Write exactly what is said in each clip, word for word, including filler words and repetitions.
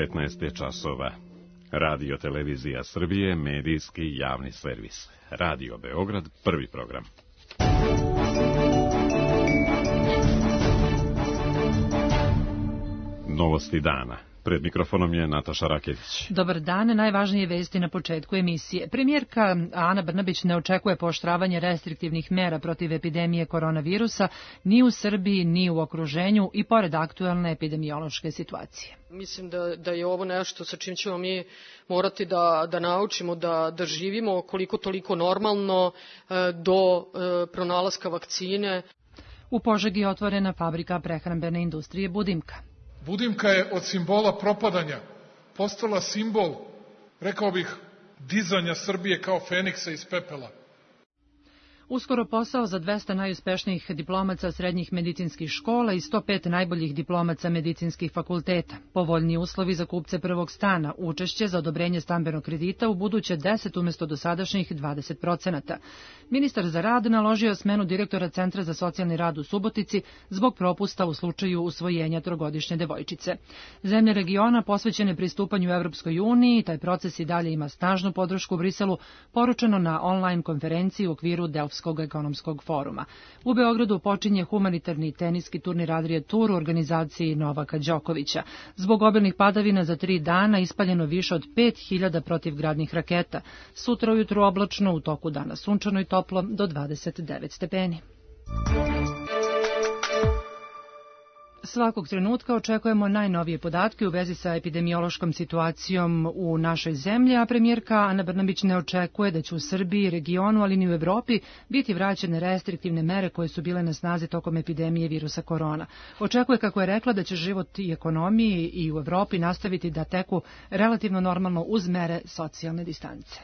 devetnaest je časova. Radio Televizija Srbije, medijski javni servis. Radio Beograd, prvi program. Novosti dana. Pred mikrofonom je Nataša Rakević. Dobar dan, najvažnije vesti na početku emisije. Premijerka Ana Brnabić ne očekuje pooštravanje restriktivnih mera protiv epidemije koronavirusa ni u Srbiji, ni u okruženju i pored aktuelne epidemiološke situacije. Mislim da, da je ovo nešto sa čim ćemo mi morati da, da naučimo, da, da živimo koliko toliko normalno do pronalaska vakcine. U Požegi je otvorena fabrika prehrambene industrije Budimka. Budimka je od simbola propadanja postala simbol, rekao bih, dizanja Srbije kao Feniksa iz pepela. Uskoro posao za dvesta najuspešnijih diplomaca srednjih medicinskih škola i sto pet najboljih diplomaca medicinskih fakulteta. Povoljni uslovi za kupce prvog stana, učešće za odobrenje stambenog kredita u buduće deset umjesto dosadašnjih dvadeset procenata. Ministar za rad naložio smenu direktora Centra za socijalni rad u Subotici zbog propusta u slučaju usvojenja trogodišnje devojčice. Zemlje regiona posvećene pristupanju Evropskoj uniji, taj proces i dalje ima snažnu podršku u Briselu, poručeno na online konferenciji u okviru Delfskog ekonomskog foruma. U Beogradu počinje humanitarni teniski turnir Adria Tour u organizaciji Novaka Đokovića. Zbog obilnih padavina za tri dana ispaljeno više od pet hiljada protivgradnih raketa. Sutra ujutru oblačno, u toku dana sunčano i toplo do dvadeset devet stepeni. Svakog trenutka očekujemo najnovije podatke u vezi sa epidemiološkom situacijom u našoj zemlji, a premijerka Ana Brnabić ne očekuje da će u Srbiji, regionu, ali ni u Evropi biti vraćene restriktivne mere koje su bile na snazi tokom epidemije virusa korona. Očekuje, kako je rekla, da će život i ekonomiji i u Evropi nastaviti da teku relativno normalno uz mere socijalne distance.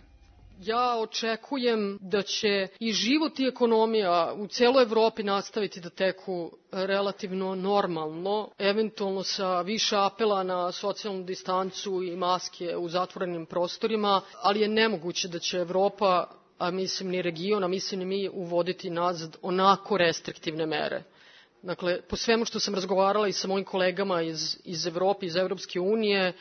Ja očekujem da će i život i ekonomija u celoj Evropi nastaviti da teku relativno normalno, eventualno sa više apela na socijalnu distancu i maske u zatvorenim prostorima, ali je nemoguće da će Evropa, a mislim ni region, a mislim ni mi, uvoditi nazad onako restriktivne mere. Dakle, po svemu što sam razgovarala i sa mojim kolegama iz, iz Evrope, iz Evropske unije,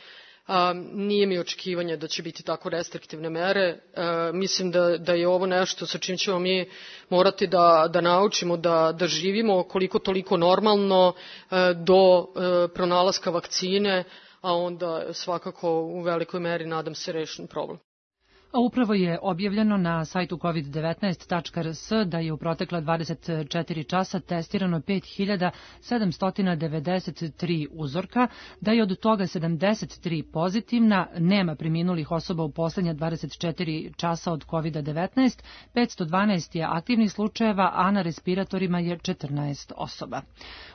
A, nije mi očekivanje da će biti tako restriktivne mere. A, mislim da, da je ovo nešto sa čim ćemo mi morati da, da naučimo, da, da živimo koliko toliko normalno a, do a, pronalaska vakcine, a onda svakako u velikoj meri, nadam se, rešen problem. A upravo je objavljeno na sajtu kovid devetnaest tačka r s da je u protekla dvadeset četiri časa testirano pet hiljada sedamsto devedeset tri uzorka, da je od toga sedamdeset tri pozitivna, nema preminulih osoba u poslednja dvadeset četiri časa od kovid devetnaest, petsto dvanaest je aktivnih slučajeva, a na respiratorima je četrnaest osoba.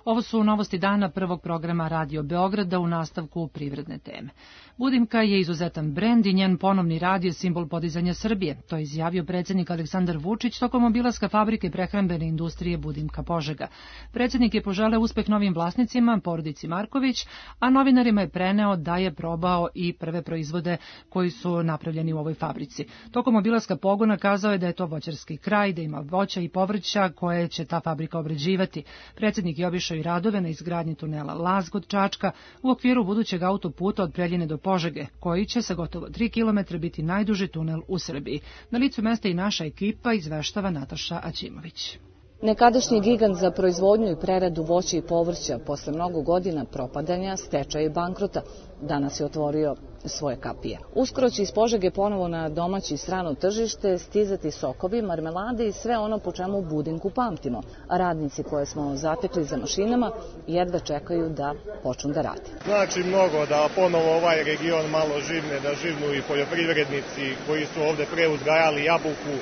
Ovo su novosti dana prvog programa Radio Beograda, u nastavku privredne teme. Budimka je izuzetan brend i njen ponovni rad je simbol podizanja Srbije. To je izjavio predsjednik Aleksandar Vučić tokom obilaska fabrike prehrambene industrije Budimka Požega. Predsjednik je poželeo uspeh novim vlasnicima, porodici Marković, a novinarima je preneo da je probao i prve proizvode koji su napravljeni u ovoj fabrici. Tokom obilaska pogona kazao je da je to voćarski kraj, da ima voća i povrća koje će ta fabrika obrađivati. Predsjednik je obišao i radove na izgradnji tunela Laz kod Čačka u okviru budućeg autoputa od Preljine do Požege, koji će sa gotovo tri kilometra biti najduži tunel u Srbiji. Na licu mesta i naša ekipa, izveštava Nataša Aćimović. Nekadašnji gigant za proizvodnju i preradu voća i povrća posle mnogo godina propadanja, stečaja i bankrota danas je otvorio svoje kapije. Uskoro će iz Požege ponovo na domaće i strano tržište stizati sokovi, marmelade i sve ono po čemu Budimku pamtimo. A radnici koje smo zatekli za mašinama jedva čekaju da počnu da rade. Znači mnogo da ponovo ovaj region malo živne, da živnu i poljoprivrednici koji su ovde pre uzgajali jabuku.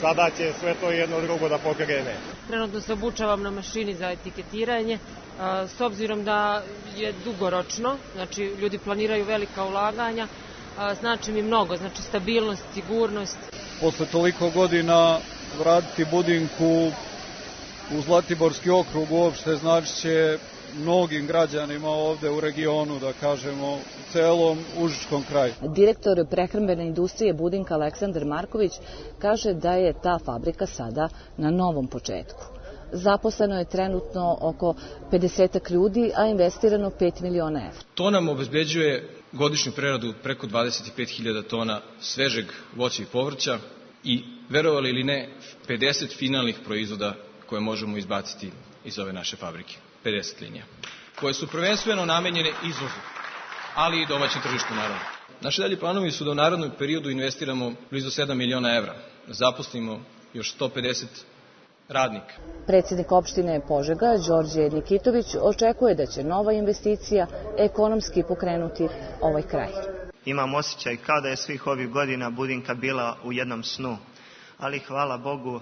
Sada će sve to jedno drugo da pokrene. Trenutno se obučavam na mašini za etiketiranje, s obzirom da je dugoročno, znači ljudi planiraju velika ulaganja, znači mi mnogo, znači stabilnost, sigurnost. Posle toliko godina vratiti Budimku u Zlatiborski okrug uopšte znači će mnogim građanima ovde u regionu, da kažemo, u celom užičkom kraju. Direktor prehrambene industrije Budimka Aleksandar Marković kaže da je ta fabrika sada na novom početku. Zaposleno je trenutno oko pedesetak ljudi, a investirano pet miliona evra. To nam obezbeđuje godišnju preradu preko dvadeset pet hiljada tona svežeg voća i povrća i, verovali ili ne, pedeset finalnih proizvoda koje možemo izbaciti iz ove naše fabrike. pedeset linija, koje su prvenstveno namenjene izvozu, ali i domaćem tržištu naravno. Naši dalji planovi su da u narednom periodu investiramo blizu sedam miliona evra, da zaposlimo još sto pedeset radnika. Predsjednik opštine Požega, Đorđe Nikitović, očekuje da će nova investicija ekonomski pokrenuti ovaj kraj. Imam osjećaj kao da je svih ovih godina Budinka bila u jednom snu, ali hvala Bogu,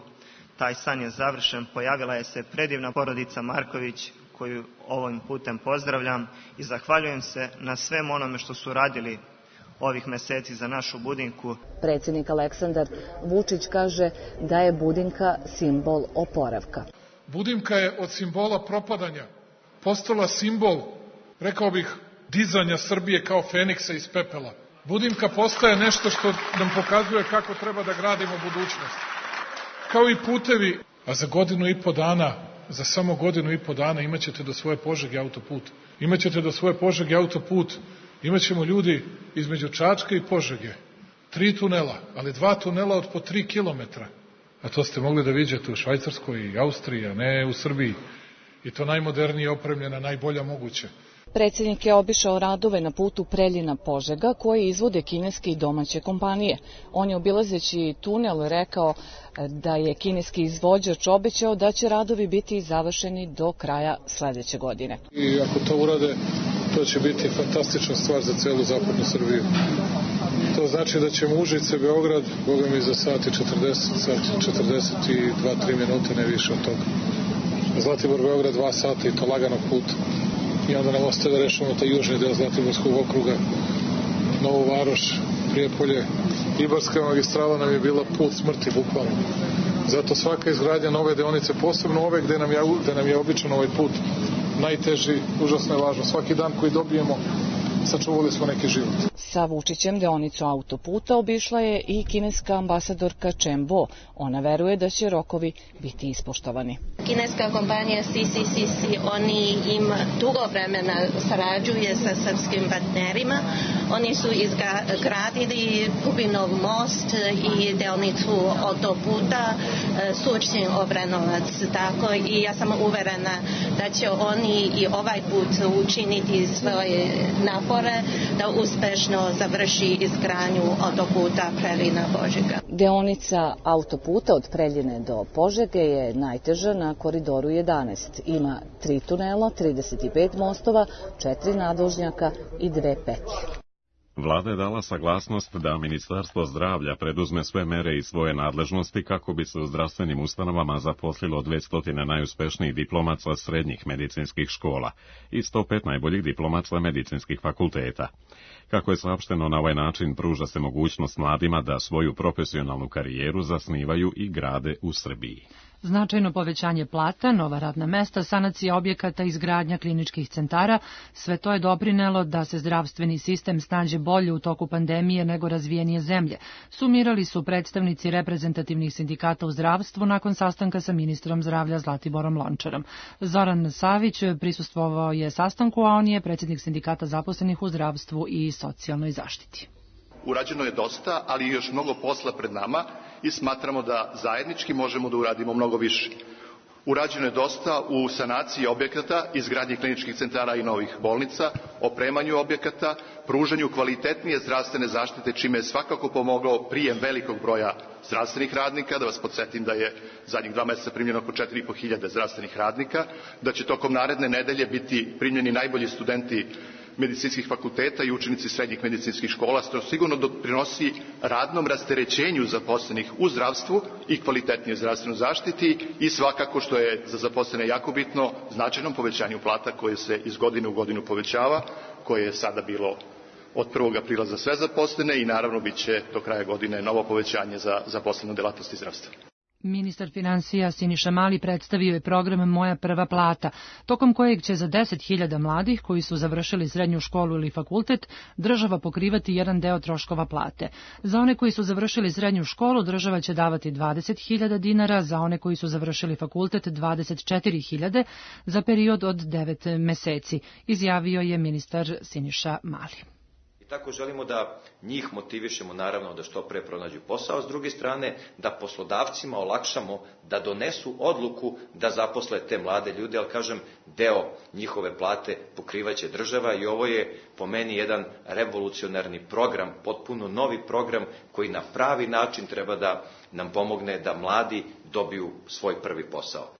taj san je završen. Pojavila je se predivna porodica Marković, koju ovim putem pozdravljam i zahvaljujem se na svem onome što su radili ovih meseci za našu Budinku. Predsjednik Aleksandar Vučić kaže da je Budinka simbol oporavka. Budinka je od simbola propadanja postala simbol, rekao bih, dizanja Srbije kao feniksa iz pepela. Budinka postaje nešto što nam pokazuje kako treba da gradimo budućnost. Kao i putevi, a za godinu i po dana, za samo godinu i po dana imaćete do svoje Požege autoput. Imaćete do svoje Požege autoput, imaćemo ljudi između Čačka i Požege. Tri tunela, ali dva tunela od po tri kilometra. A to ste mogli da vidite u Švajcarskoj i Austriji, a ne u Srbiji. I to najmodernije opremljena, najbolja moguće. Predsjednik je obišao radove na putu Preljina-Požega koje izvode kineske i domaće kompanije. On je obilazeći tunel rekao da je kineski izvođač obećao da će radovi biti završeni do kraja sledeće godine. I ako to urade, to će biti fantastična stvar za celu zapadnu Srbiju. To znači da ćemo Užice, Beograd, boga mi za sat i četrdeset dva tri minute, ne više od toga. Zlatibor, Beograd, dva sata i to laganog puta. I onda nam ostaje da rešamo taj južni deo Zlatiborskog okruga, Novu Varoš, Prijepolje. Ibarska magistrala nam je bila put smrti, bukvalno. Zato svaka izgradnja nove deonice, posebno ove gde nam je, gde nam je običan ovaj put najteži, užasno je važno. Svaki dan koji dobijemo, sačuvali smo neki život. Sa Vučićem deonicu autoputa obišla je i kineska ambasadorka Chen Bo. Ona veruje da će rokovi biti ispoštovani. Kineska kompanija C C C C, oni im dugo vremena sarađuje sa srpskim partnerima. Oni su izgradili Kupinov most i deonicu autoputa Surčin Obrenovac. Tako i ja sam uverena da će oni i ovaj put učiniti svoje napore da uspešno završi izgradnju autoputa Preljina-Požega. Deonica autoputa od Preljine do Požege je najteža na koridoru jedanaest. Ima tri tunela, trideset pet mostova, četiri nadvožnjaka i dve petlje. Vlada je dala saglasnost da Ministarstvo zdravlja preduzme sve mere i svoje nadležnosti kako bi se u zdravstvenim ustanovama zaposlilo dvesta najuspešnijih diplomaca srednjih medicinskih škola i sto pet najboljih diplomaca medicinskih fakulteta. Kako je saopšteno, na ovaj način pruža se mogućnost mladima da svoju profesionalnu karijeru zasnivaju i grade u Srbiji. Značajno povećanje plata, nova radna mesta, sanacija objekata, izgradnja kliničkih centara, sve to je doprinelo da se zdravstveni sistem snađe bolje u toku pandemije nego razvijenije zemlje. Sumirali su predstavnici reprezentativnih sindikata u zdravstvu nakon sastanka sa ministrom zdravlja Zlatiborom Lončarom. Zoran Savić prisustvovao je sastanku, a on je predsjednik sindikata zaposlenih u zdravstvu i socijalnoj zaštiti. Urađeno je dosta, ali još mnogo posla pred nama i smatramo da zajednički možemo da uradimo mnogo više. Urađeno je dosta u sanaciji objekata, izgradnji kliničkih centara i novih bolnica, opremanju objekata, pružanju kvalitetnije zdravstvene zaštite, čime je svakako pomogao prijem velikog broja zdravstvenih radnika. Da vas podsjetim da je zadnjih dva meseca primljeno oko četiri i po hiljade zdravstvenih radnika, da će tokom naredne nedelje biti primljeni najbolji studenti medicinskih fakulteta i učenici srednjih medicinskih škola, što sigurno doprinosi radnom rasterećenju zaposlenih u zdravstvu i kvalitetnijoj zdravstvenoj zaštiti i svakako, što je za zaposlene jako bitno, značajnom povećanju plata koje se iz godine u godinu povećava, koje je sada bilo od prvog aprila za sve zaposlene i naravno bit će do kraja godine novo povećanje za zaposlene u delatnosti zdravstva. Ministar finansija Siniša Mali predstavio je program Moja prva plata, tokom kojeg će za deset hiljada mladih koji su završili srednju školu ili fakultet država pokrivati jedan deo troškova plate. Za one koji su završili srednju školu država će davati dvadeset hiljada dinara, za one koji su završili fakultet dvadeset četiri hiljade za period od devet meseci, izjavio je ministar Siniša Mali. I tako želimo da njih motivišemo naravno da što pre pronađu posao, s druge strane da poslodavcima olakšamo da donesu odluku da zaposle te mlade ljude, ali kažem, deo njihove plate pokrivaće država i ovo je po meni jedan revolucionarni program, potpuno novi program koji na pravi način treba da nam pomogne da mladi dobiju svoj prvi posao.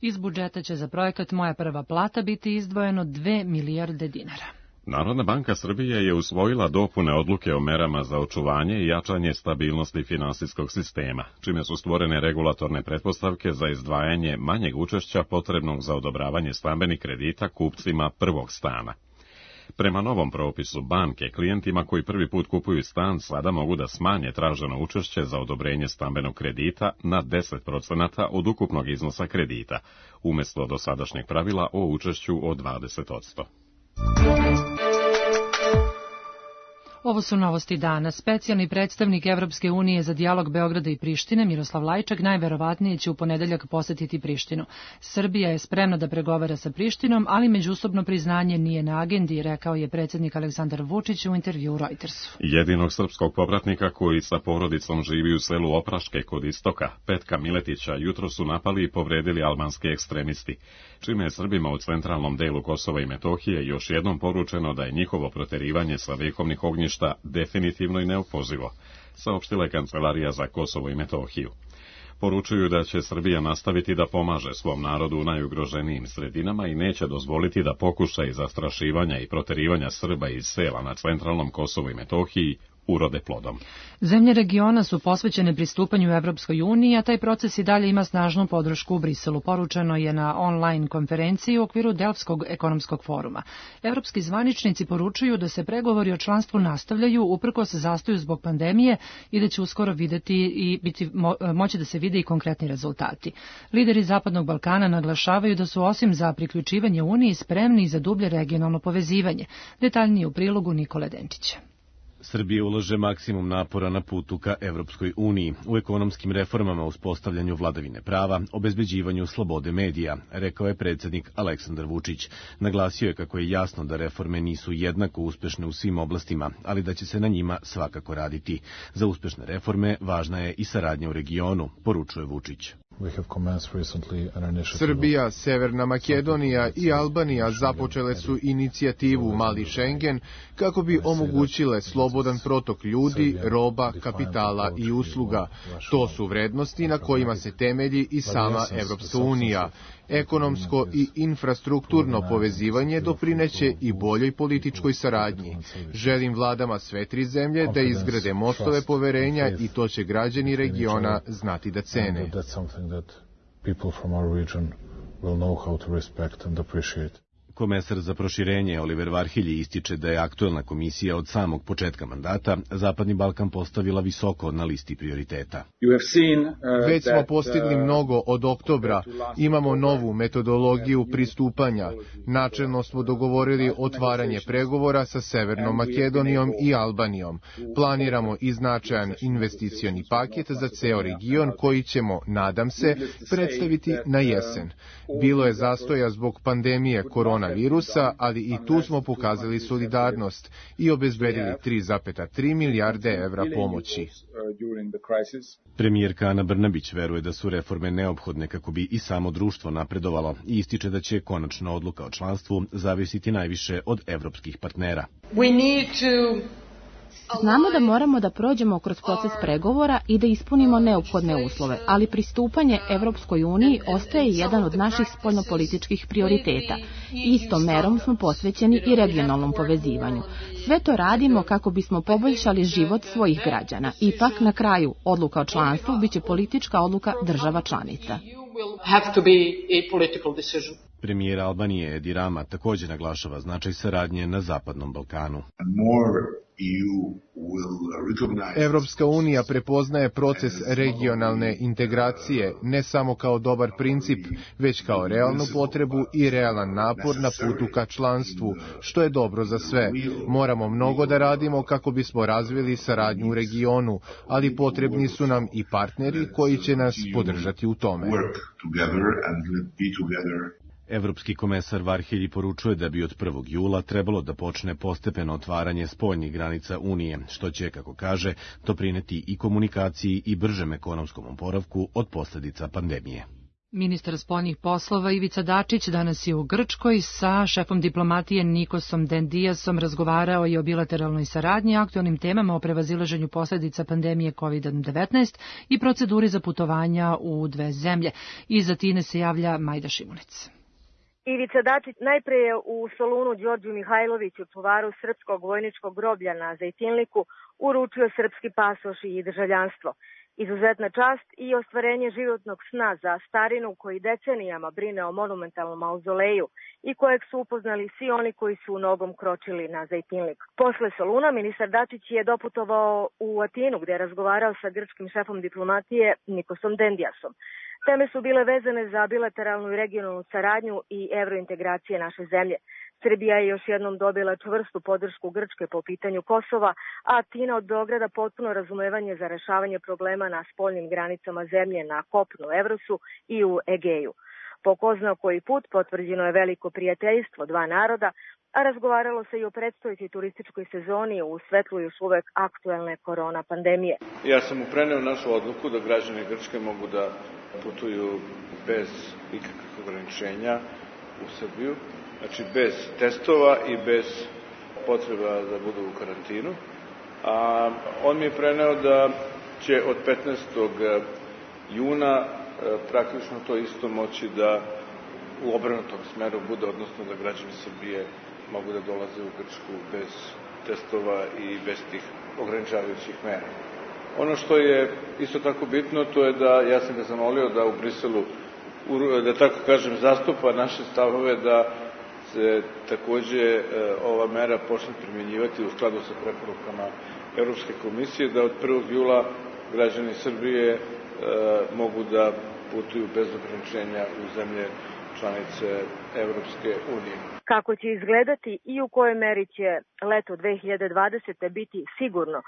Iz budžeta će za projekat Moja prva plata biti izdvojeno dve milijarde dinara. Narodna banka Srbije je usvojila dopune odluke o merama za očuvanje i jačanje stabilnosti finansijskog sistema, čime su stvorene regulatorne pretpostavke za izdvajanje manjeg učešća potrebnog za odobravanje stambenih kredita kupcima prvog stana. Prema novom propisu, banke klijentima koji prvi put kupuju stan sada mogu da smanje traženo učešće za odobrenje stambenog kredita na deset procenata od ukupnog iznosa kredita, umjesto dosadašnjeg pravila o učešću od dvadeset posto. Ovo su novosti dana. Specijalni predstavnik Evropske unije za dijalog Beograda i Prištine, Miroslav Lajčak, najverovatnije će u ponedeljak posetiti Prištinu. Srbija je spremna da pregovara sa Prištinom, ali međusobno priznanje nije na agendi, rekao je predsjednik Aleksandar Vučić u intervjuu Reutersu. Jedinog srpskog povratnika koji sa porodicom živi u selu Opraške kod istoka, Petka Miletića, jutro su napali i povredili albanski ekstremisti, čime je Srbima u centralnom delu Kosova i Metohije još jednom poručeno da je njihovo proterivanje sa vekovnih ognjišta definitivno i neopozivo, saopštila je Kancelarija za Kosovo i Metohiju. Poručuju da će Srbija nastaviti da pomaže svom narodu u najugroženijim sredinama i neće dozvoliti da pokušaj zastrašivanja i proterivanja Srba iz sela na centralnom Kosovu i Metohiji urode plodom. Zemlje regiona su posvećene pristupanju Evropskoj uniji, a taj proces i dalje ima snažnu podršku u Briselu, poručeno je na online konferenciji u okviru Delftskog ekonomskog foruma. Evropski zvaničnici poručuju da se pregovori o članstvu nastavljaju uprkos zastoju zbog pandemije i da će uskoro videti i biti mo, moći da se vide i konkretni rezultati. Lideri Zapadnog Balkana naglašavaju da su osim za priključivanje Uniji spremni za dublje regionalno povezivanje. Detaljnije u prilogu Nikole Denčića. Srbija ulaže maksimum napora na putu ka Evropskoj uniji, u ekonomskim reformama, uspostavljanju vladavine prava, obezbeđivanju slobode medija, rekao je predsjednik Aleksandar Vučić. Naglasio je kako je jasno da reforme nisu jednako uspešne u svim oblastima, ali da će se na njima svakako raditi. Za uspešne reforme važna je i saradnja u regionu, poručuje Vučić. Srbija, Severna Makedonija i Albanija započele su inicijativu Mali Schengen kako bi omogućile slobodan protok ljudi, roba, kapitala i usluga. To su vrednosti na kojima se temelji i sama Evropska unija. Ekonomsko i infrastrukturno povezivanje doprineće i boljoj političkoj saradnji. Želim vladama sve tri zemlje da izgrade mostove poverenja i to će građani regiona znati da cene. Komesar za proširenje Oliver Varhelji ističe da je aktuelna komisija od samog početka mandata Zapadni Balkan postavila visoko na listi prioriteta. Već smo postigli mnogo od oktobra. Imamo novu metodologiju pristupanja. Načelno smo dogovorili otvaranje pregovora sa Severnom Makedonijom i Albanijom. Planiramo i značajan investicioni paket za ceo region koji ćemo, nadam se, predstaviti na jesen. Bilo je zastoja zbog pandemije korona virusa, ali i tu smo pokazali solidarnost i obezbedili tri zarez tri milijarde evra pomoći. Premijerka Ana Brnabić veruje da su reforme neophodne kako bi i samo društvo napredovalo i ističe da će konačna odluka o članstvu zavisiti najviše od evropskih partnera. Znamo da moramo da prođemo kroz proces pregovora i da ispunimo neophodne uslove, ali pristupanje Evropskoj uniji ostaje jedan od naših spoljnopolitičkih prioriteta. Istom merom smo posvećeni i regionalnom povezivanju. Sve to radimo kako bismo poboljšali život svojih građana. Ipak, na kraju, odluka o članstvu biće politička odluka država članica. Premijer Albanije Edi Rama također naglašava značaj saradnje na Zapadnom Balkanu. Evropska unija prepoznaje proces regionalne integracije ne samo kao dobar princip, već kao realnu potrebu i realan napor na putu ka članstvu, što je dobro za sve. Moramo mnogo da radimo kako bismo razvili saradnju u regionu, ali potrebni su nam i partneri koji će nas podržati u tome. Evropski komesar Varhelji poručuje da bi od prvog jula trebalo da počne postepeno otvaranje spoljnih granica Unije, što će, kako kaže, doprineti i komunikaciji i bržem ekonomskom oporavku od posljedica pandemije. Ministar spoljnih poslova Ivica Dačić danas je u Grčkoj sa šefom diplomatije Nikosom Dendiasom razgovarao i o bilateralnoj saradnji, aktualnim temama o prevazilaženju posljedica pandemije kovid devetnaest i proceduri za putovanja u dve zemlje. Iz Atine se javlja Majda Šimunec. Ivica Dačić najpre je u Solunu Đorđu Mihajloviću, čuvaru srpskog vojničkog groblja na Zejtinliku, uručio srpski pasoš i državljanstvo. Izuzetna čast i ostvarenje životnog sna za starinu koji decenijama brine o monumentalnom mauzoleju i kojeg su upoznali svi oni koji su nogom kročili na Zejtinlik. Posle Soluna ministar Dačić je doputovao u Atinu gdje je razgovarao sa grčkim šefom diplomatije Nikosom Dendiasom. Teme su bile vezane za bilateralnu i regionalnu saradnju i evrointegracije naše zemlje. Srbija je još jednom dobila čvrstu podršku Grčke po pitanju Kosova, a Atina od Beograda potpuno razumevanje za rešavanje problema na spoljnim granicama zemlje na kopnu Evrosu i u Egeju. Po ko zna koji put potvrđeno je veliko prijateljstvo dva naroda, a razgovaralo se i o predstojećoj turističkoj sezoni u svetlu još uvek aktuelne korona pandemije. Ja sam mu preneo našu odluku da građani Grčke mogu da putuju bez ikakvih ograničenja u Srbiju, znači bez testova i bez potreba da budu u karantinu. A on mi je preneo da će od petnaestog juna praktično to isto moći da u obrnutom smeru bude, odnosno da građani Srbije mogu da dolaze u Grčku bez testova i bez tih ograničavajućih mera. Ono što je isto tako bitno, to je da ja sam ga zamolio da u Briselu, da tako kažem, zastupa naše stavove da se takođe ova mera počne primjenjivati u skladu sa preporukama Evropske komisije, da od prvog jula građani Srbije mogu da putuju bez ograničenja u zemlje članice Evropske unije. Kako će izgledati i u kojoj meri će leto dve hiljade dvadesete. biti sigurno,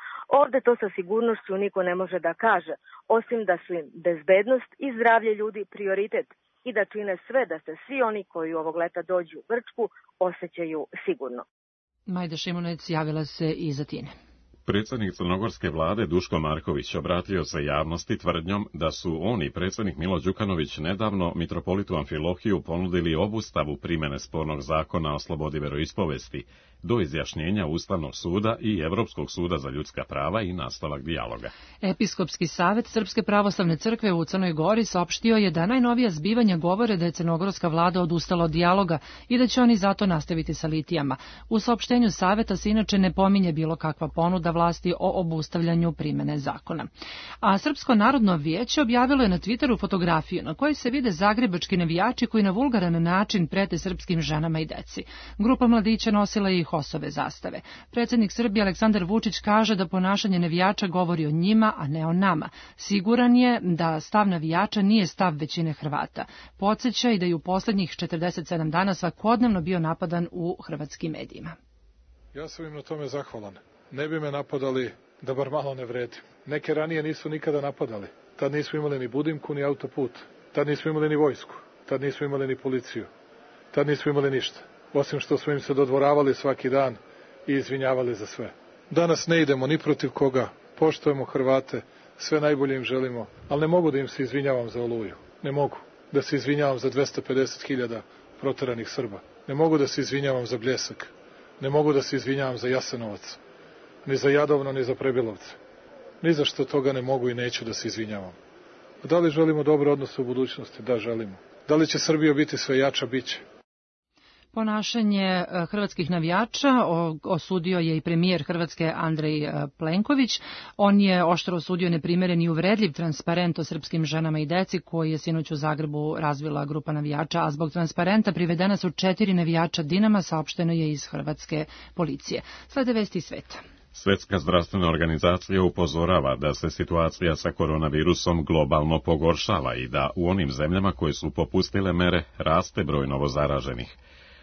ovde to sa sigurnošću niko ne može da kaže, osim da su im bezbednost i zdravlje ljudi prioritet i da čine sve da se svi oni koji ovog leta dođu u Grčku osjećaju sigurno. Majda Šimunec javila se iz Atine. Predsjednik crnogorske vlade Duško Marković obratio se javnosti tvrdnjom da su on i predsjednik Milo Đukanović nedavno mitropolitu Amfilohiju ponudili obustavu primjene spornog zakona o slobodi veroispovesti do izjašnjenja Ustavnog suda i Evropskog suda za ljudska prava i nastavak dijaloga. Episkopski savet Srpske pravoslavne crkve u Crnoj Gori saopštio je da najnovija zbivanja govore da je crnogorska vlada odustala od dijaloga i da će oni zato nastaviti sa litijama. U saopštenju saveta se inače ne pominje bilo kakva ponuda vlasti o obustavljanju primene zakona. A Srpsko narodno vijeće objavilo je na Twitteru fotografiju na kojoj se vide zagrebački navijači koji na vulgaran način prete srpskim ženama i deci. Grupa mladića nosila je i HOS-ove zastave. Predsjednik Srbije Aleksandar Vučić kaže da ponašanje navijača govori o njima, a ne o nama. Siguran je da stav navijača nije stav većine Hrvata. Podsjeća i da je u posljednjih četrdeset sedam dana svakodnevno bio napadan u hrvatskim medijima. Ja sam im na tome zahvalan. Ne bi me napadali da bar malo ne vredim. Neke ranije nisu nikada napadali. Tad nismo imali ni Budimku, ni autoput. Tad nismo imali ni vojsku. Tad nismo imali ni policiju. Tad nismo imali ništa. Osim što smo im se dodvoravali svaki dan i izvinjavali za sve. Danas ne idemo ni protiv koga. Poštujemo Hrvate, sve najbolje im želimo, ali ne mogu da im se izvinjavam za Oluju. Ne mogu da se izvinjavam za dvesta pedeset hiljada proteranih Srba. Ne mogu da se izvinjavam za Bljesak. Ne mogu da se izvinjavam za Jasenovac. Ni za Jadovno, ni za Prebilovce. Ni za što toga ne mogu i neću da se izvinjavam. A da li želimo dobre odnose u budućnosti? Da, želimo. Da li će Srbija biti sve jača? Biće. Ponašanje hrvatskih navijača osudio je i premijer Hrvatske Andrej Plenković. On je oštro osudio neprimeren i uvredljiv transparent o srpskim ženama i deci koji je sinoć u Zagrebu razvila grupa navijača, a zbog transparenta privedena su četiri navijača Dinama, saopšteno je iz hrvatske policije. Slede vesti iz sveta. Svetska zdravstvena organizacija upozorava da se situacija sa koronavirusom globalno pogoršava i da u onim zemljama koje su popustile mere raste broj novozaraženih.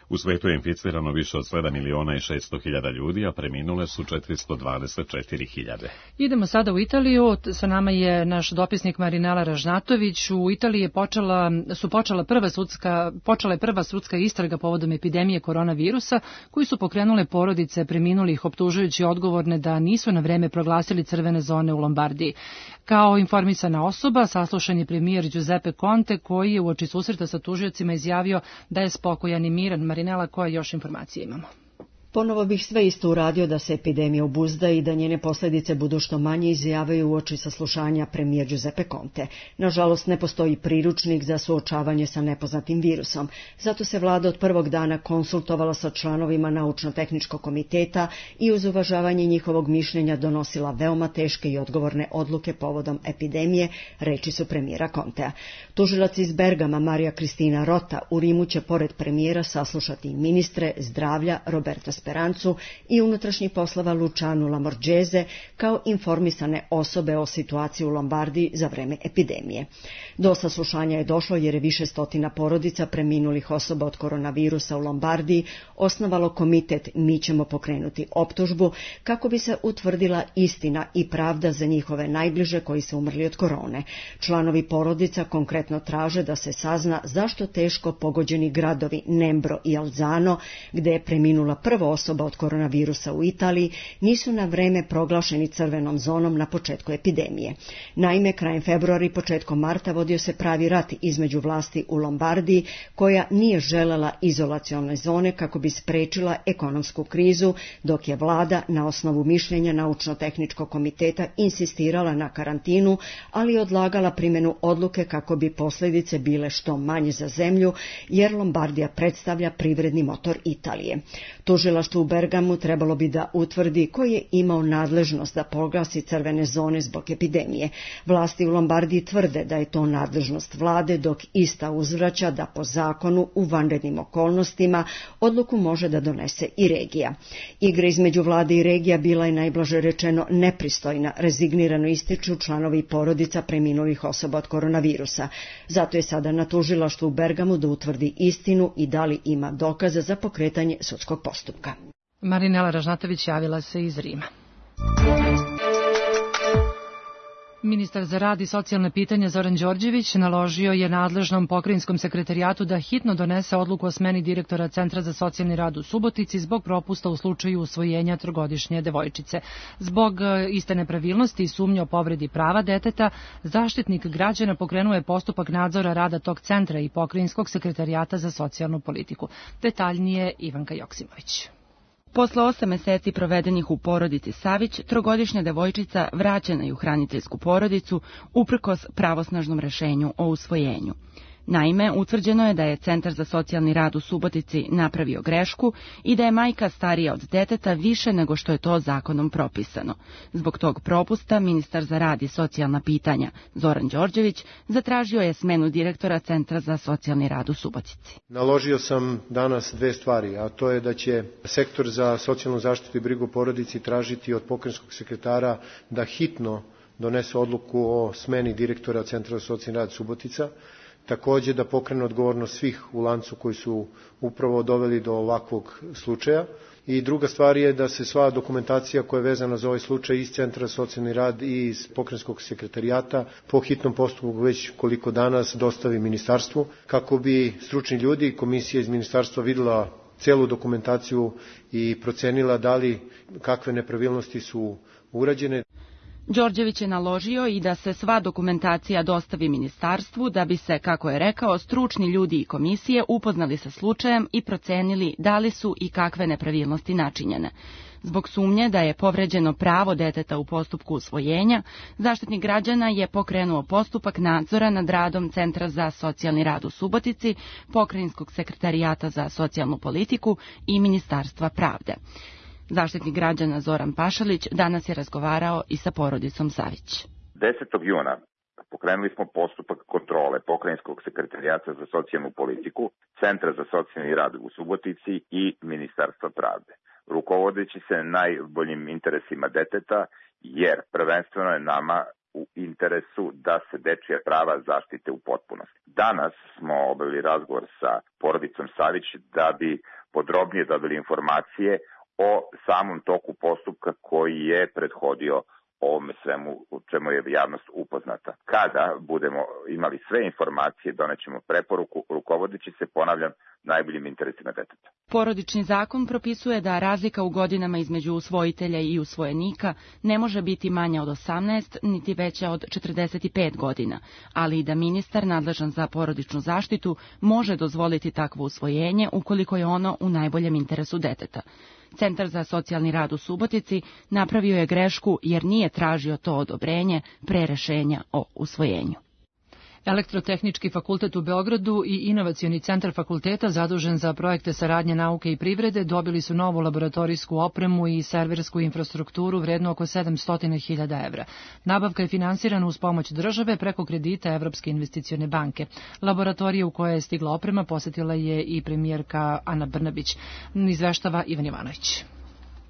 U svetu je inficirano više od sedam miliona i šesto hiljada ljudi, a preminule su četiristo dvadeset četiri hiljade. Idemo sada u Italiju. Sa nama je naš dopisnik Marinela Ražnatović. U Italiji je počela, su počela prva sudska, počela je prva sudska istraga povodom epidemije koronavirusa, koju su pokrenule porodice preminulih, optužujući odgovorne da nisu na vreme proglasili crvene zone u Lombardiji. Kao informisana osoba, saslušan je premijer Giuseppe Conte, koji je uoči susreta sa tužiocima izjavio da je spokojan i miran. Marinela, koje još informacije imamo? Ponovo bih sve isto uradio da se epidemija obuzda i da njene posljedice budu što manje, izjavaju uoči saslušanja premijer Giuseppe Conte. Nažalost, ne postoji priručnik za suočavanje sa nepoznatim virusom. Zato se vlada od prvog dana konsultovala sa članovima naučno-tehničkog komiteta i uz uvažavanje njihovog mišljenja donosila veoma teške i odgovorne odluke povodom epidemije, reči su premijera Contea. Tužilac iz Bergama Marija Kristina Rota u Rimu će pored premijera saslušati ministre zdravlja Roberta Sperancu i unutrašnjih poslova Lucianu Lamorgese kao informisane osobe o situaciji u Lombardiji za vreme epidemije. Do saslušanja je došlo jer je više stotina porodica preminulih osoba od koronavirusa u Lombardiji osnovalo komitet Mi ćemo pokrenuti optužbu kako bi se utvrdila istina i pravda za njihove najbliže koji su umrli od korone. Članovi porodica konkretno traže da se sazna zašto teško pogođeni gradovi Nembro i Alzano, gde je preminula prva osoba od koronavirusa u Italiji, nisu na vreme proglašeni crvenom zonom na početku epidemije. Naime, krajem februara i početkom marta vodio se pravi rat između vlasti u Lombardiji, koja nije želela izolacione zone kako bi sprečila ekonomsku krizu, dok je vlada na osnovu mišljenja naučno-tehničkog komiteta insistirala na karantinu, ali odlagala primjenu odluke kako bi posljedice bile što manje za zemlju, jer Lombardija predstavlja privredni motor Italije. Tužilaštvo u Bergamu trebalo bi da utvrdi ko je imao nadležnost da proglasi crvene zone zbog epidemije. Vlasti u Lombardiji tvrde da je to nadležnost vlade, dok ista uzvraća da po zakonu u vanrednim okolnostima odluku može da donese i regija. Igra između vlade i regija bila je najblaže rečeno nepristojna, rezignirano ističu članovi porodica preminulih osoba od koronavirusa. Zato je sada na tužilaštvu u Bergamu da utvrdi istinu i da li ima dokaza za pokretanje sudskog postupka. Marinela Ražnatović javila se iz Rima. Ministar za rad i socijalne pitanja Zoran Đorđević naložio je nadležnom pokrajinskom sekretarijatu da hitno donese odluku o smeni direktora Centra za socijalni rad u Subotici zbog propusta u slučaju usvojenja trogodišnje devojčice. Zbog iste nepravilnosti i sumnje o povredi prava deteta, Zaštitnik građana pokrenuo je postupak nadzora rada tog centra i pokrajinskog sekretarijata za socijalnu politiku. Detaljnije Ivanka Joksimović. Posle osam meseci provedenih u porodici Savić, trogodišnja devojčica vraćena je u hraniteljsku porodicu uprkos pravosnažnom rešenju o usvojenju. Naime, utvrđeno je da je Centar za socijalni rad u Subotici napravio grešku i da je majka starija od deteta više nego što je to zakonom propisano. Zbog tog propusta ministar za rad i socijalna pitanja Zoran Đorđević zatražio je smenu direktora Centra za socijalni rad u Subotici. Naložio sam danas dve stvari, a to je da će Sektor za socijalnu zaštitu i brigu o porodici tražiti od pokrajinskog sekretara da hitno donese odluku o smeni direktora Centra za socijalni rad Subotica, takođe da pokrene odgovornost svih u lancu koji su upravo doveli do ovakvog slučaja. I druga stvar je da se sva dokumentacija koja je vezana za ovaj slučaj iz Centra za socijalni rad i iz pokrajinskog sekretarijata po hitnom postupku već koliko danas dostavi ministarstvu, kako bi stručni ljudi i komisija iz ministarstva videla celu dokumentaciju i procenila da li kakve nepravilnosti su urađene. Đorđević je naložio i da se sva dokumentacija dostavi ministarstvu da bi se, kako je rekao, stručni ljudi i komisije upoznali sa slučajem i procenili da li su i kakve nepravilnosti načinjene. Zbog sumnje da je povređeno pravo deteta u postupku usvojenja, Zaštitnik građana je pokrenuo postupak nadzora nad radom Centra za socijalni rad u Subotici, Pokrajinskog sekretarijata za socijalnu politiku i Ministarstva pravde. Zaštitnik građana Zoran Pašalić danas je razgovarao i sa porodicom Savić. desetog juna pokrenuli smo postupak kontrole Pokrajinskog sekretarijata za socijalnu politiku, Centra za socijalni rad u Subotici i Ministarstva pravde. rukovodeći se najboljim interesima deteta, jer prvenstveno je nama u interesu da se dečija prava zaštite u potpunosti. Danas smo obavili razgovor sa porodicom Savić da bi podrobnije dobili informacije o samom toku postupka koji je prethodio ovome svemu u čemu je javnost upoznata. Kada budemo imali sve informacije, donećemo preporuku rukovodeći se, ponavljam, najboljim interesima deteta. Porodični zakon propisuje da razlika u godinama između usvojitelja i usvojenika ne može biti manja od osamnaest, niti veća od četrdeset pet godina, ali i da ministar nadležan za porodičnu zaštitu može dozvoliti takvo usvojenje ukoliko je ono u najboljem interesu deteta. Centar za socijalni rad u Subotici napravio je grešku jer nije tražio to odobrenje pre rešenja o usvojenju. Elektrotehnički fakultet u Beogradu i Inovacioni centar fakulteta zadužen za projekte saradnje nauke i privrede dobili su novu laboratorijsku opremu i serversku infrastrukturu vrednu oko sedamsto hiljada evra. Nabavka je finansirana uz pomoć države preko kredita Evropske investicione banke. Laboratorija u kojoj je stigla oprema posetila je i premijerka Ana Brnabić. Izveštava Ivan Jovanović.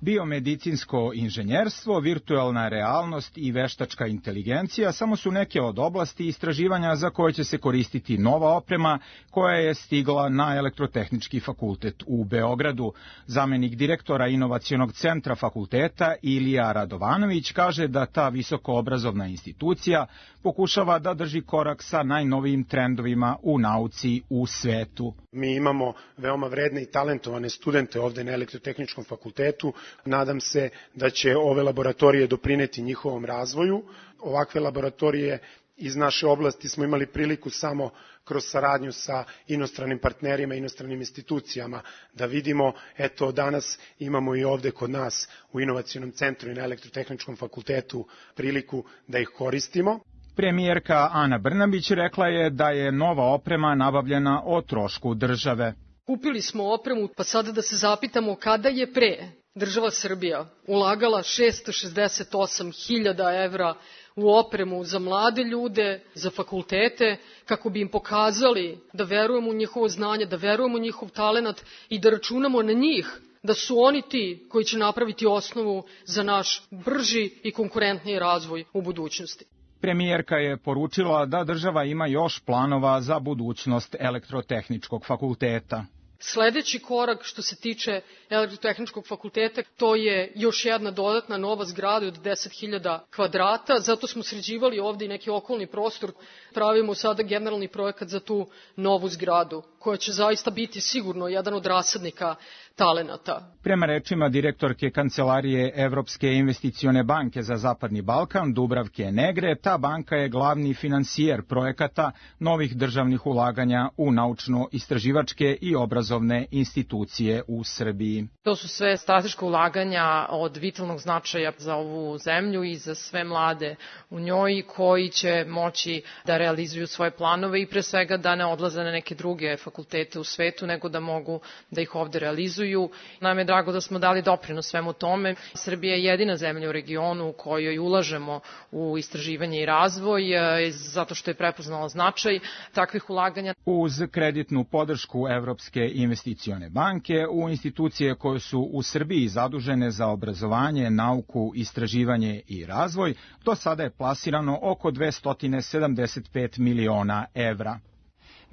Biomedicinsko inženjerstvo, virtualna realnost i veštačka inteligencija samo su neke od oblasti istraživanja za koje će se koristiti nova oprema koja je stigla na Elektrotehnički fakultet u Beogradu. Zamenik direktora Inovacionog centra fakulteta Ilija Radovanović kaže da ta visokoobrazovna institucija pokušava da drži korak sa najnovijim trendovima u nauci u svetu. Mi imamo veoma vredne i talentovane studente ovde na Elektrotehničkom fakultetu. Nadam se da će ove laboratorije doprineti njihovom razvoju. Ovakve laboratorije iz naše oblasti smo imali priliku samo kroz saradnju sa inostranim partnerima, inostranim institucijama, da vidimo, eto danas imamo i ovde kod nas u Inovacionom centru i na Elektrotehničkom fakultetu priliku da ih koristimo. Premijerka Ana Brnabić rekla je da je nova oprema nabavljena o trošku države. Kupili smo opremu, pa sada da se zapitamo kada je pre država Srbija ulagala šesto šezdeset osam hiljada evra u opremu za mlade ljude, za fakultete, kako bi im pokazali da verujemo u njihovo znanje, da verujemo u njihov talenat i da računamo na njih, da su oni ti koji će napraviti osnovu za naš brži i konkurentniji razvoj u budućnosti. Premijerka je poručila da država ima još planova za budućnost Elektrotehničkog fakulteta. Sledeći korak što se tiče Elektrotehničkog fakulteta, to je još jedna dodatna nova zgrada od deset hiljada kvadrata, zato smo sređivali ovde i neki okolni prostor. Pravimo sada generalni projekat za tu novu zgradu, koja će zaista biti sigurno jedan od rasadnika talenata. Prema rečima direktorke Kancelarije Evropske investicione banke za Zapadni Balkan, Dubravke Negre, ta banka je glavni finansijer projekata novih državnih ulaganja u naučno-istraživačke i obrazovne institucije u Srbiji. To su sve strateška ulaganja od vitalnog značaja za ovu zemlju i za sve mlade u njoj koji će moći da realizuju svoje planove i pre svega da ne odlaze na neke druge fakultete u svetu, nego da mogu da ih ovde realizuju. Nam je drago da smo dali doprinos svemu tome. Srbija je jedina zemlja u regionu u kojoj ulažemo u istraživanje i razvoj, zato što je prepoznala značaj takvih ulaganja. Uz kreditnu podršku Evropske investicione banke u institucije koje su u Srbiji zadužene za obrazovanje, nauku, istraživanje i razvoj, do sada je plasirano oko dvesta sedamdeset pet miliona evra.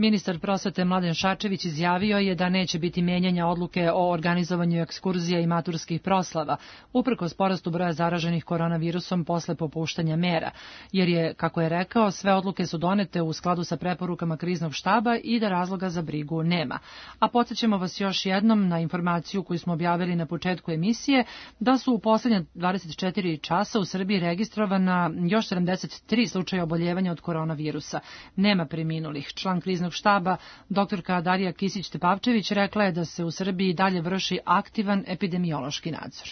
Ministar prosvete Mladen Šarčević izjavio je da neće biti menjanja odluke o organizovanju ekskurzija i maturskih proslava, uprkos porastu broja zaraženih koronavirusom posle popuštanja mera, jer je, kako je rekao, sve odluke su donete u skladu sa preporukama kriznog štaba i da razloga za brigu nema. A podsjećamo vas još jednom na informaciju koju smo objavili na početku emisije, da su u poslednja dvadeset četiri časa u Srbiji registrovana još sedamdeset tri slučaja oboljevanja od koronavirusa. Nema preminulih. Član kriznog štaba, doktorka Darija Kisić-Tepavčević, rekla je da se u Srbiji dalje vrši aktivan epidemiološki nadzor.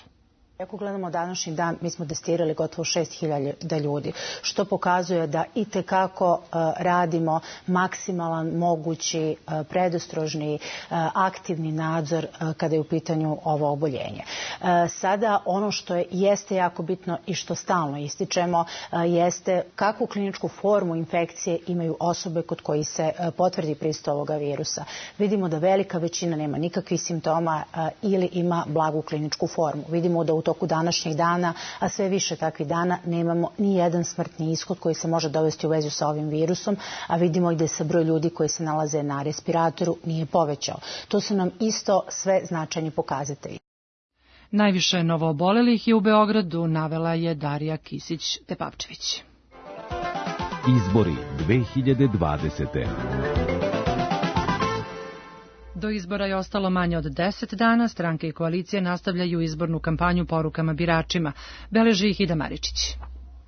Ako gledamo današnji dan, mi smo testirali gotovo šest hiljada ljudi, što pokazuje da i tekako radimo maksimalan, mogući, predostrožni, aktivni nadzor kada je u pitanju ovo oboljenje. Sada ono što je, jeste jako bitno i što stalno ističemo jeste kakvu kliničku formu infekcije imaju osobe kod koji se potvrdi prisustvo ovoga virusa. Vidimo da velika većina nema nikakvih simptoma ili ima blagu kliničku formu. Vidimo da u toku današnjeg dana, a sve više takvih dana, nemamo ni jedan smrtni ishod koji se može dovesti u vezu sa ovim virusom, a vidimo i da se broj ljudi koji se nalaze na respiratoru nije povećao. To su nam isto sve značajni pokazatelji. Najviše novoobolelih je u Beogradu, navela je Darija Kisić-Tepavčević. Izbori dve hiljade dvadesete. Do izbora je ostalo manje od deset dana, stranke i koalicije nastavljaju izbornu kampanju porukama biračima. Beleži ih Ida Maričić.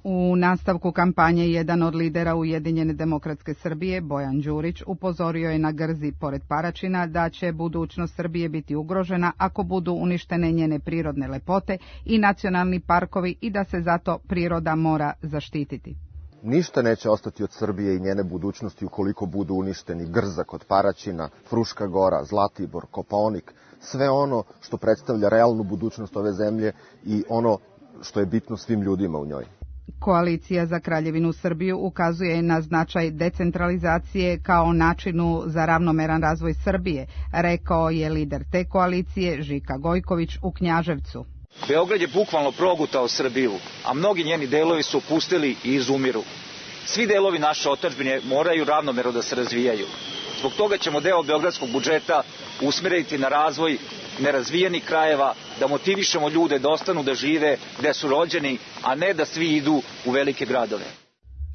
U nastavku kampanje jedan od lidera Ujedinjene demokratske Srbije, Bojan Đurić, upozorio je na Grzi pored Paračina da će budućnost Srbije biti ugrožena ako budu uništene njene prirodne lepote i nacionalni parkovi i da se zato priroda mora zaštititi. Ništa neće ostati od Srbije i njene budućnosti ukoliko budu uništeni Grza kod Paraćina, Fruška Gora, Zlatibor, Kopaonik, sve ono što predstavlja realnu budućnost ove zemlje i ono što je bitno svim ljudima u njoj. Koalicija za Kraljevinu Srbiju ukazuje na značaj decentralizacije kao načinu za ravnomeran razvoj Srbije, rekao je lider te koalicije Žika Gojković u Knjaževcu. Beograd je bukvalno progutao Srbiju, a mnogi njeni delovi su opusteli i izumiru. Svi delovi naše otadžbine moraju ravnomerno da se razvijaju. Zbog toga ćemo deo beogradskog budžeta usmeriti na razvoj nerazvijenih krajeva, da motivišemo ljude da ostanu da žive gde su rođeni, a ne da svi idu u velike gradove.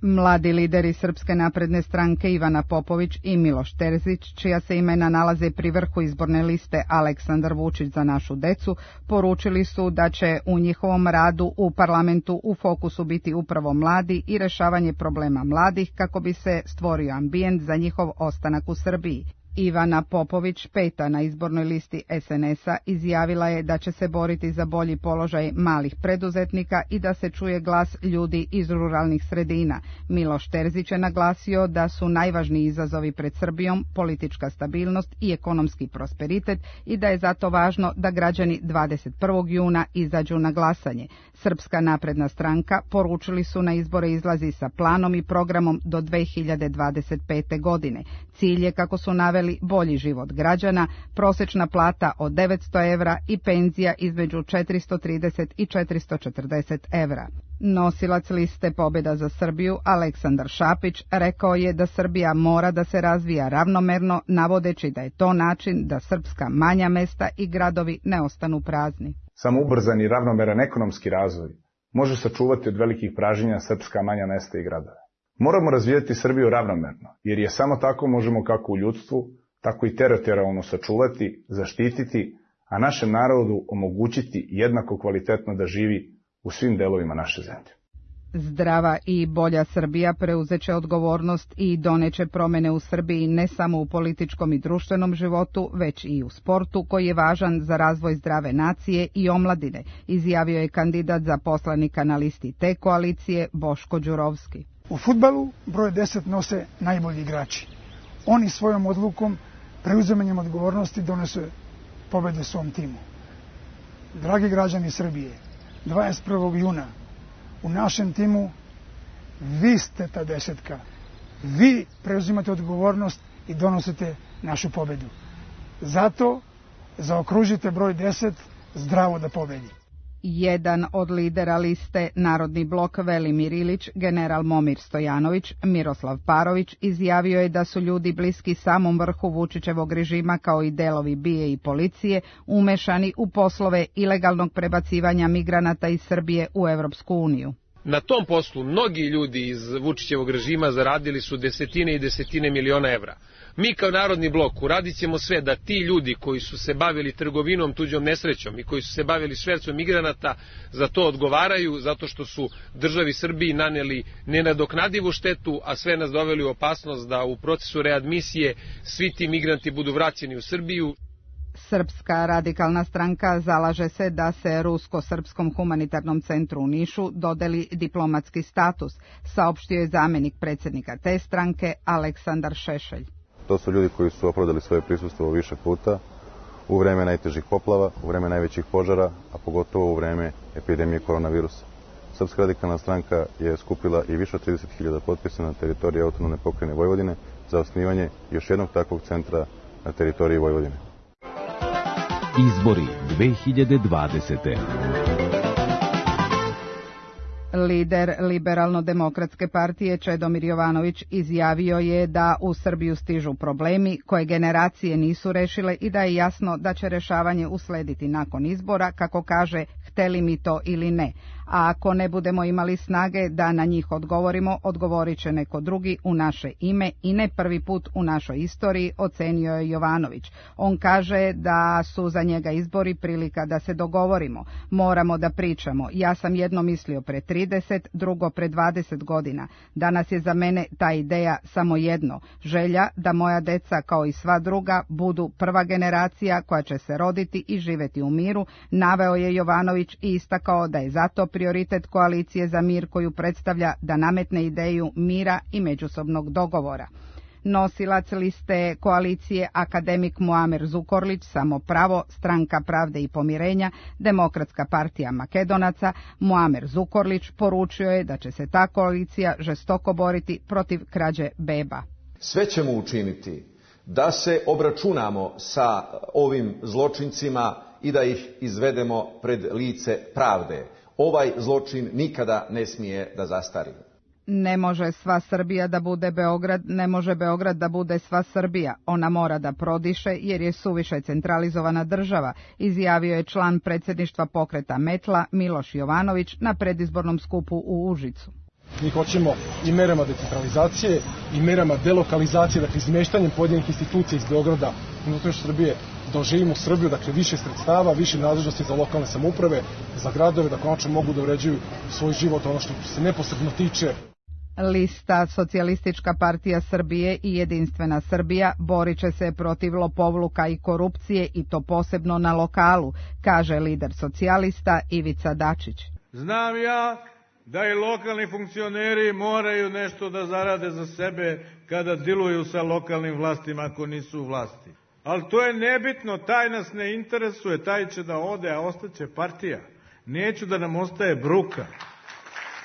Mladi lideri Srpske napredne stranke Ivana Popović i Miloš Terzić, čija se imena nalaze pri vrhu izborne liste Aleksandar Vučić za našu decu, poručili su da će u njihovom radu u parlamentu u fokusu biti upravo mladi i rešavanje problema mladih kako bi se stvorio ambijent za njihov ostanak u Srbiji. Ivana Popović, peta na izbornoj listi es en es a, izjavila je da će se boriti za bolji položaj malih preduzetnika i da se čuje glas ljudi iz ruralnih sredina. Miloš Terzić je naglasio da su najvažniji izazovi pred Srbijom politička stabilnost i ekonomski prosperitet i da je zato važno da građani dvadeset prvog juna izađu na glasanje. Srpska napredna stranka, poručili su, na izbore izlazi sa planom i programom do dve hiljade dvadeset pete. godine. Cilj je, kako su naveli, bolji život građana, prosečna plata od devetsto evra i penzija između četiristo trideset i četiristo četrdeset evra. Nosilac liste Pobjeda za Srbiju, Aleksandar Šapić, rekao je da Srbija mora da se razvija ravnomerno, navodeći da je to način da srpska manja mesta i gradovi ne ostanu prazni. Samo ubrzan i ravnomeran ekonomski razvoj može sačuvati od velikih pražnjenja srpska manja mesta i gradove. Moramo razvijati Srbiju ravnomerno, jer je samo tako možemo kako u ljudstvu, tako i teritorijalno sačuvati, zaštititi, a našem narodu omogućiti jednako kvalitetno da živi u svim delovima naše zemlje. Zdrava i bolja Srbija preuzeće odgovornost i doneće promene u Srbiji ne samo u političkom i društvenom životu, već i u sportu, koji je važan za razvoj zdrave nacije i omladine, izjavio je kandidat za poslanika na listi te koalicije Boško Đurovski. U fudbalu broj deset nose najbolji igrači. Oni svojom odlukom, preuzimanjem odgovornosti, donose pobedu svom timu. Dragi građani Srbije, dvadeset prvog juna u našem timu vi ste ta desetka. Vi preuzimate odgovornost i donosite našu pobedu. Zato zaokružite broj deset zdravo da pobedi. Jedan od lidera liste Narodni blok Velimir Ilić, general Momir Stojanović, Miroslav Parović, izjavio je da su ljudi bliski samom vrhu Vučićevog režima, kao i delovi B I A i policije, umešani u poslove ilegalnog prebacivanja migranata iz Srbije u Evropsku uniju. Na tom poslu mnogi ljudi iz Vučićevog režima zaradili su desetine i desetine miliona evra. Mi kao Narodni blok uradit ćemo sve da ti ljudi koji su se bavili trgovinom tuđom nesrećom i koji su se bavili švercom migranata za to odgovaraju, zato što su državi Srbiji naneli nenadoknadivu štetu, a sve nas doveli u opasnost da u procesu readmisije svi ti migranti budu vraćeni u Srbiju. Srpska radikalna stranka zalaže se da se Rusko-srpskom humanitarnom centru u Nišu dodeli diplomatski status, saopštio je zamjenik predsjednika te stranke Aleksandar Šešelj. To su ljudi koji su opravdali svoje prisustvo više puta u vreme najtežih poplava, u vreme najvećih požara, a pogotovo u vreme epidemije koronavirusa. Srpska radikalna stranka je skupila i više od trideset hiljada potpisa na teritoriji autonomne pokrajine Vojvodine za osnivanje još jednog takvog centra na teritoriji Vojvodine. Izbori dve hiljade dvadesete. Lider Liberalno-demokratske partije Čedomir Jovanović izjavio je da u Srbiju stižu problemi koje generacije nisu rešile i da je jasno da će rešavanje uslediti nakon izbora, kako kaže, hteli mi to ili ne. A ako ne budemo imali snage da na njih odgovorimo, odgovorit će neko drugi u naše ime i ne prvi put u našoj istoriji, ocenio je Jovanović. On kaže da su za njega izbori prilika da se dogovorimo. Moramo da pričamo. Ja sam jedno mislio pre trideset, drugo pre dvadeset godina. Danas je za mene ta ideja samo jedno. Želja da moja deca, kao i sva druga, budu prva generacija koja će se roditi i živeti u miru, naveo je Jovanović i istakao da je zato prioritet koalicije za mir koju predstavlja da nametne ideju mira i međusobnog dogovora. Nosilac liste koalicije akademik Muamer Zukorlić, Samo pravo, Stranka pravde i pomirenja, Demokratska partija Makedonaca, Muamer Zukorlić poručio je da će se ta koalicija žestoko boriti protiv krađe beba. Sve ćemo učiniti da se obračunamo sa ovim zločincima i da ih izvedemo pred lice pravde. Ovaj zločin nikada ne smije da zastari. Ne može sva Srbija da bude Beograd, ne može Beograd da bude sva Srbija. Ona mora da prodiše jer je suviše centralizovana država, izjavio je član predsjedništva pokreta Metla Miloš Jovanović na predizbornom skupu u Užicu. Mi hoćemo i merama decentralizacije i merama delokalizacije, dakle izmeštanjem pojedinih institucija iz Beograda i unutrašnje Srbije, da oživimo Srbiju, dakle više sredstava, više nadležnosti za lokalne samouprave, za gradove, da konačno mogu da uređuju svoj život, ono što se neposredno tiče. Lista Socijalistička partija Srbije i Jedinstvena Srbija borit će se protiv lopovluka i korupcije i to posebno na lokalu, kaže lider socijalista Ivica Dačić. Znam ja da i lokalni funkcioneri moraju nešto da zarade za sebe kada diluju sa lokalnim vlastima ako nisu u vlasti. Ali to je nebitno, taj nas ne interesuje, taj će da ode, a ostaće partija. Neću da nam ostaje bruka.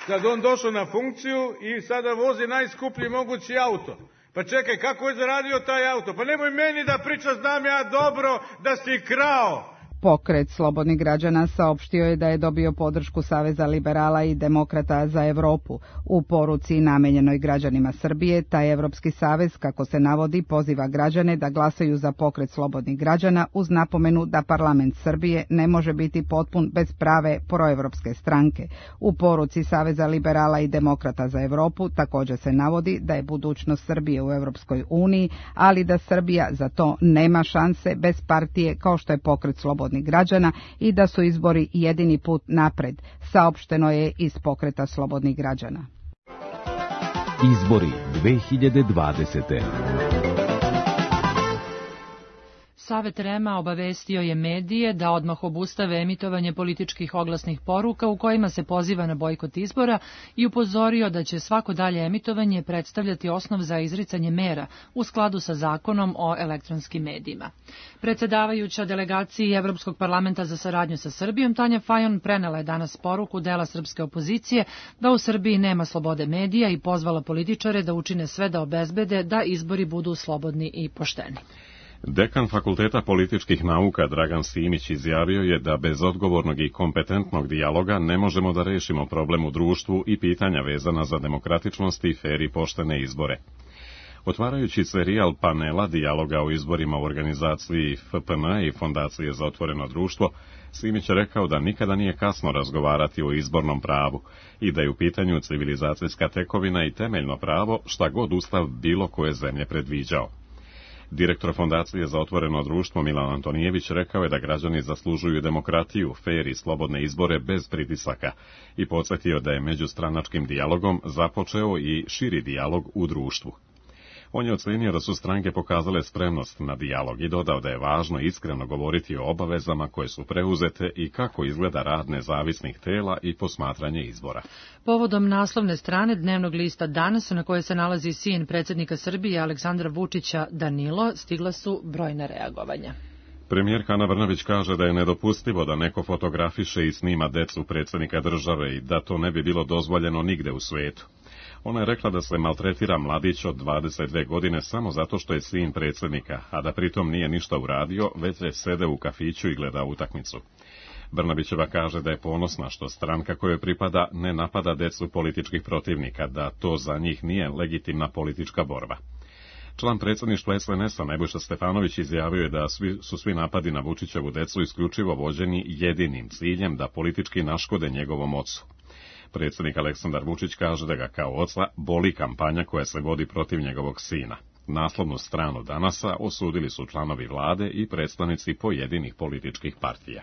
Sad on došao na funkciju i sada vozi najskuplji mogući auto. Pa čekaj, kako je zaradio taj auto? Pa nemoj meni da priča, znam ja dobro da si krao. Pokret slobodnih građana saopštio je da je dobio podršku Saveza liberala i demokrata za Evropu. U poruci namenjenoj građanima Srbije, taj Evropski savez, kako se navodi, poziva građane da glasaju za pokret slobodnih građana uz napomenu da parlament Srbije ne može biti potpun bez prave proevropske stranke. U poruci Saveza liberala i demokrata za Evropu također se navodi da je budućnost Srbije u Evropskoj uniji, ali da Srbija za to nema šanse bez partije kao što je pokret slobodnih građana i da su izbori jedini put napred, saopšteno je iz pokreta slobodnih građana. Izbori dve hiljade dvadesete. Savet REM-a obavestio je medije da odmah obustave emitovanje političkih oglasnih poruka u kojima se poziva na bojkot izbora i upozorio da će svako dalje emitovanje predstavljati osnov za izricanje mera u skladu sa zakonom o elektronskim medijima. Predsedavajuća delegaciji Evropskog parlamenta za saradnju sa Srbijom Tanja Fajon prenela je danas poruku dela srpske opozicije da u Srbiji nema slobode medija i pozvala političare da učine sve da obezbede da izbori budu slobodni i pošteni. Dekan Fakulteta političkih nauka Dragan Simić izjavio je da bez odgovornog i kompetentnog dijaloga ne možemo da rešimo problem u društvu i pitanja vezana za demokratičnost i fer i poštene izbore. Otvarajući serijal panela dijaloga o izborima u organizaciji F P M i Fondacije za otvoreno društvo, Simić je rekao da nikada nije kasno razgovarati o izbornom pravu i da je u pitanju civilizacijska tekovina i temeljno pravo šta god ustav bilo koje zemlje predviđao. Direktor Fondacije za otvoreno društvo Milan Antonijević rekao je da građani zaslužuju demokratiju, fer i slobodne izbore bez pritisaka i podsjetio da je međustranačkim dijalogom započeo i širi dijalog u društvu. On je ocenio da su stranke pokazale spremnost na dijalog i dodao da je važno iskreno govoriti o obavezama koje su preuzete i kako izgleda rad nezavisnih tela i posmatranje izbora. Povodom naslovne strane dnevnog lista Danas, na kojoj se nalazi sin predsjednika Srbije Aleksandra Vučića Danilo, stigla su brojna reagovanja. Premijerka Ana Brnabić kaže da je nedopustivo da neko fotografiše i snima decu predsjednika države i da to ne bi bilo dozvoljeno nigde u svetu. Ona je rekla da se maltretira mladić od dvadeset dve godine samo zato što je sin predsjednika, a da pritom nije ništa uradio, već je sede u kafiću i gleda utakmicu. Brnabićeva kaže da je ponosna što stranka kojoj pripada ne napada decu političkih protivnika, da to za njih nije legitimna politička borba. Član predsjedništva es en es-a Nebojša Stefanović izjavio je da svi, su svi napadi na Vučićevu decu isključivo vođeni jedinim ciljem da politički naškode njegovom ocu. Predsjednik Aleksandar Vučić kaže da ga kao oca boli kampanja koja se vodi protiv njegovog sina. Naslovnu stranu Danasa osudili su članovi vlade i predstavnici pojedinih političkih partija.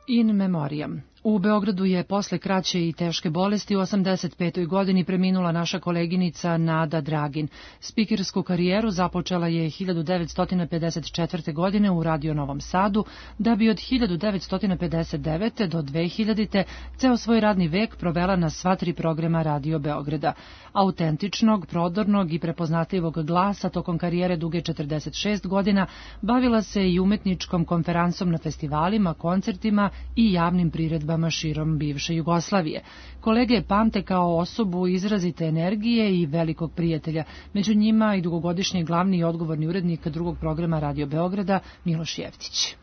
In memoriam. U Beogradu je posle kraće i teške bolesti u osamdeset petoj godini preminula naša koleginica Nada Dragin. Spikersku karijeru započela je hiljadu devetsto pedeset četvrte. godine u Radio Novom Sadu, da bi od hiljadu devetsto pedeset devete. do dve hiljadite. ceo svoj radni vek provela na sva tri programa Radio Beograda. Autentičnog, prodornog i prepoznatljivog glasa tokom karijere duge četrdeset šest godina bavila se i umetničkom konferansom na festivalima, koncertima i javnim priredbama širom bivše Jugoslavije. Kolege pamte kao osobu izrazite energije i velikog prijatelja, među njima i dugogodišnji glavni i odgovorni urednik drugog programa Radio Beograda Miloš Jeftić.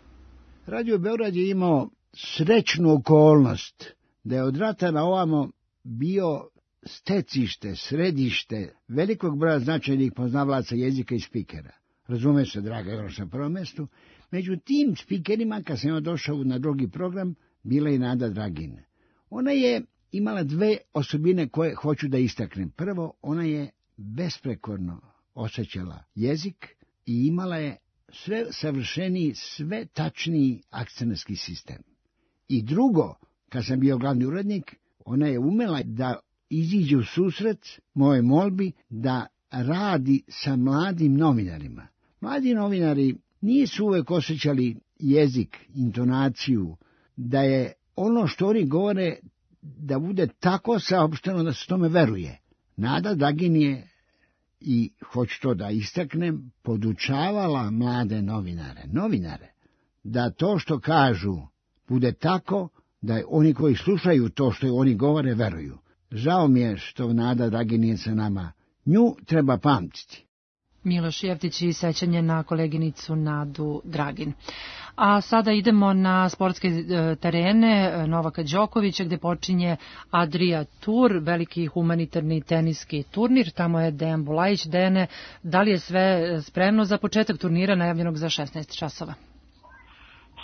Radio Beograd je imao srećnu okolnost da je od rata na ovamo bio stecište, središte velikog broja značajnih poznavalaca jezika i spikera. Razume se, draga, još na prvom mestu. Među tim spikerima, kad sam došao na drugi program, bila je Nada Dragin. Ona je imala dve osobine koje hoću da istaknem. Prvo, ona je besprekorno osjećala jezik i imala je sve savršeniji, sve tačniji akcenarski sistem. I drugo, kad sam bio glavni urednik, ona je umela da iziđe u susret moje molbi da radi sa mladim novinarima. Mladi novinari nisu uvek osjećali jezik, intonaciju, da je ono što oni govore da bude tako saopšteno da se tome veruje. Nada Dragin je, i hoću to da istaknem, podučavala mlade novinare, novinare, da to što kažu bude tako da oni koji slušaju to što oni govore veruju. Žao mi je što Nada Dragin nije sa nama. Nju treba pamtiti. Miloš Jeftić i sećanje na koleginicu Nadu Dragin. A sada idemo na sportske terene Novaka Đokovića, gde počinje Adria Tour, veliki humanitarni teniski turnir. Tamo je Dejan Bulajić. Dejane, da li je sve spremno za početak turnira najavljenog za šesnaest časova?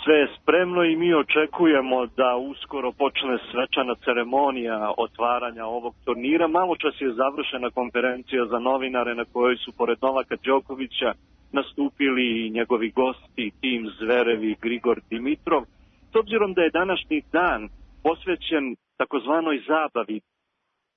Sve je spremno i mi očekujemo da uskoro počne svečana ceremonija otvaranja ovog turnira. Malo čas je završena konferencija za novinare na kojoj su pored Novaka Đokovića nastupili i njegovi gosti Tim Zverev i Grigor Dimitrov. S obzirom da je današnji dan posvećen takozvanoj zabavi,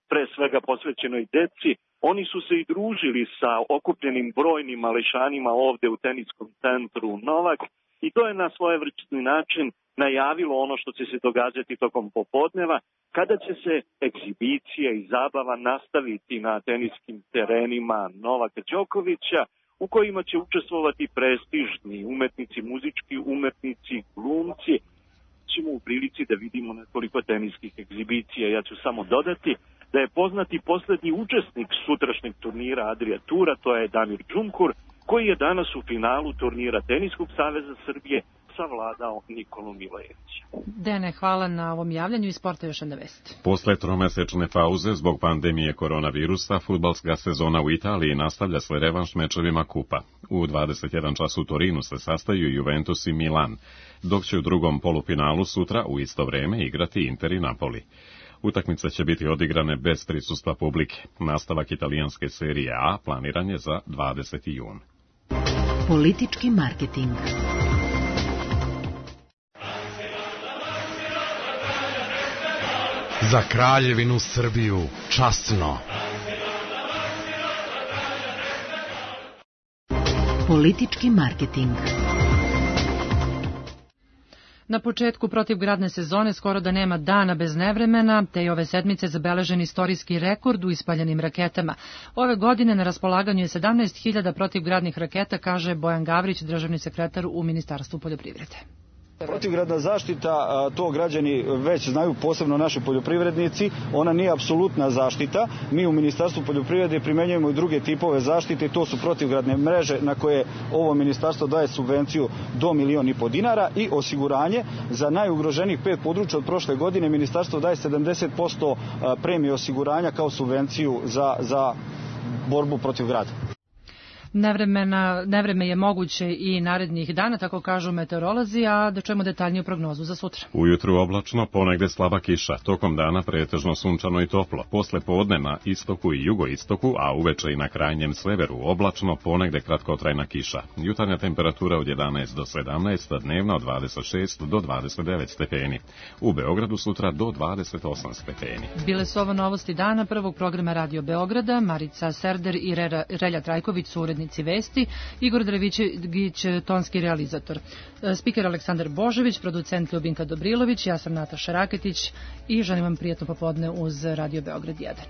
pre svega posvećenoj deci, oni su se i družili sa okupljenim brojnim mališanima ovde u teniskom centru Novak. I to je na svojevrsni način najavilo ono što će se događati tokom popodneva, kada će se egzibicija i zabava nastaviti na teniskim terenima Novaka Đokovića, u kojima će učestvovati prestižni umetnici, muzički umetnici, glumci. Ćemo u prilici da vidimo nekoliko teniskih egzibicija. Ja ću samo dodati da je poznati poslednji učesnik sutrašnjeg turnira Adria Tura, to je Damir Džumhur, koji je danas u finalu turnira Teniskog saveza Srbije savladao Nikolu Milojevića. Dene, hvala na ovom javljanju i sporta još jedna vest. Posle tromesečne pauze zbog pandemije koronavirusa, fudbalska sezona u Italiji nastavlja s revanš mečevima kupa. U dvadeset jedan čas u Torinu se sastaju Juventus i Milan, dok će u drugom polufinalu sutra u isto vreme igrati Inter i Napoli. Utakmice će biti odigrane bez prisustva publike. Nastavak italijanske serije A planiran je za dvadeseti jun. Politički marketing. Za Kraljevinu Srbiju časno. Politički marketing. Na početku protivgradne sezone skoro da nema dana bez nevremena, te i ove sedmice zabeležen istorijski rekord u ispaljenim raketama. Ove godine na raspolaganju je sedamnaest hiljada protivgradnih raketa, kaže Bojan Gavrić, državni sekretar u Ministarstvu poljoprivrede. Protivgradna zaštita, to građani već znaju, posebno naši poljoprivrednici, ona nije apsolutna zaštita. Mi u Ministarstvu poljoprivrede primenjujemo i druge tipove zaštite, to su protivgradne mreže na koje ovo ministarstvo daje subvenciju do milion i po dinara i osiguranje za najugroženijih pet područja. Od prošle godine ministarstvo daje sedamdeset posto premije osiguranja kao subvenciju za, za borbu protiv grada. Nevremena, nevreme je moguće i narednih dana, tako kažu meteorolozi, a da čujemo detaljniju prognozu za sutra. Ujutru oblačno, ponegde slaba kiša, tokom dana pretežno sunčano i toplo, posle podne na istoku i jugoistoku, a uveče i na krajnjem severu oblačno, ponegde kratkotrajna kiša. Jutarnja temperatura od jedanaest do sedamnaest, a dnevna od dvadeset šest do dvadeset devet stepeni. U Beogradu sutra do dvadeset osam stepeni. Bile su ovo novosti dana prvog programa Radio Beograda. Marica Serder i Rera, Relja Trajković su urednici vesti, Igor Drevićegić, tonski realizator. Spiker Aleksandar Božević, producent Ljubinka Dobrilović, ja sam Nataša Raketić i želim vam prijatno popodne uz Radio Beograd jedan.